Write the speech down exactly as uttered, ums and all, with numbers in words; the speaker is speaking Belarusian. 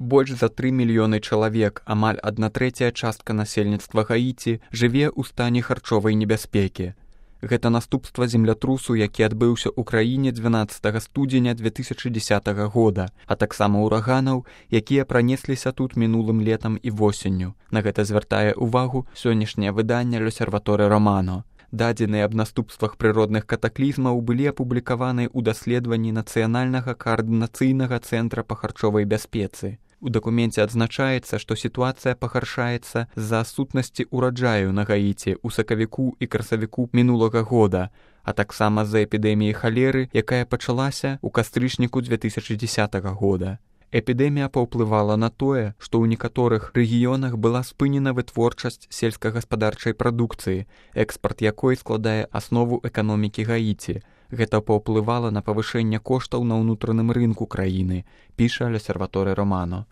Больш за тры мільёны чалавек, амаль адна трэцяя частка насельніцтва Гаіці, жыве ў стане харчовай небяспекі. Гэта наступства землятрусу, які адбыўся ў краіне дванаццатага студзеня две тысячы дзесятага года, а таксама ўраганаў, якія пранесліся тут мінулым летам і восенню. На гэта звяртае ўвагу сённяшняе выданне «L'Osservatore Romano». Дадзеныя аб наступствах прыродных катаклізмаў былі апублікаваны ў даследаванні Нацыянальнага каардынацыйнага цэнтра па харчовай бяспецы. У дакуменце адзначаецца, што сітуацыя пагаршаецца з-за адсутнасці ўраджаю на Гаіці ў сакавіку і красавіку мінулага года, а таксама з-за эпідэміі халеры, якая пачалася ў кастрычніку две тысячы дзесятага года. Эпідэмія паўплывала на тое, што ў некаторых рэгіёнах была спынена вытворчасць сельскагаспадарчай прадукцыі, экспарт якой складае аснову эканомікі Гаіці. Гэта паўплывала на павышэнне коштаў на ўнутраным рынку краіны, піша «L'Osservatore Romano».